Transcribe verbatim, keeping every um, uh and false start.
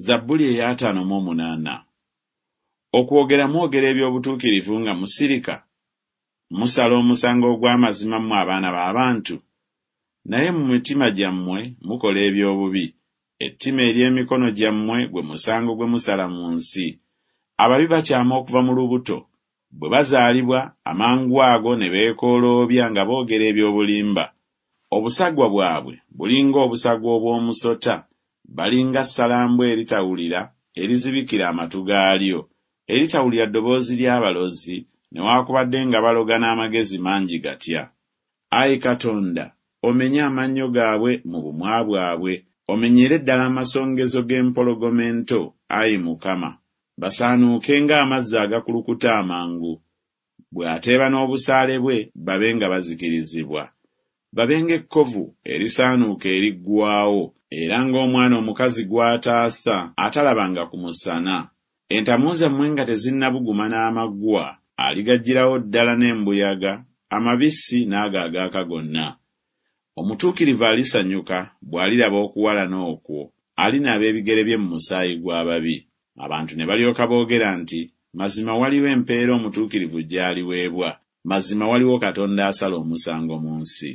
Zabbuli ey'ataano mu omunaana. Okwogera mwogera eby'obutuukirivu nga musirika? Musala omusango ogw'amazima mmwe abaana b'abantu? Naye mu mitima gyammwe mukola eby'obubi, ettima ery'emikono gyammwe gwe musango gwe musala mu nsi. Ababi bakyama okuva mu lubuto, bwe bazaalibwa amangu ago ne beekooloobya nga boogera eby'obulimba. Obusagwa bwabwe bulinga obusagwa obw'omusota, balinga ssalambwa eritawulira erizibikira amatu gaalyo, eritawulira ddoboozi ly'abalozi, newaakubadde nga baloga n'amagezi mangi gatya. Ayi Katonda, omenye amannyo gaabwe mu bumwa bwabwe, omenyere ddala amasongezo g'empologoma ento, ayi Mukama, basaanuuke ng'amazzi agakulukuta amangu. Bw'ateeba n'obusaale bwe, babe nga bazikirizibwa. Babe ng'ekkovu erisaanuuka eriggwaawo, era ng'omwana omukazi gw'ataasa atalabanga ku musana. Entamu zammwe nga tezinnabuguma n'amaggwa, aligaggyirawo ddala n'embuyaga, amabisi n'ago agaaka gonna. Omutuukirivu alisanyuka bw'aliraba okuwalana okwo, alinaaba ebigere bye mu musaayi gw'ababi. Abantu ne balyoka boogera nti, Mazima waliwo empeera omutuukirivu gy'aliweebwa, mazima waliwo Katonda asala omusango mu nsi.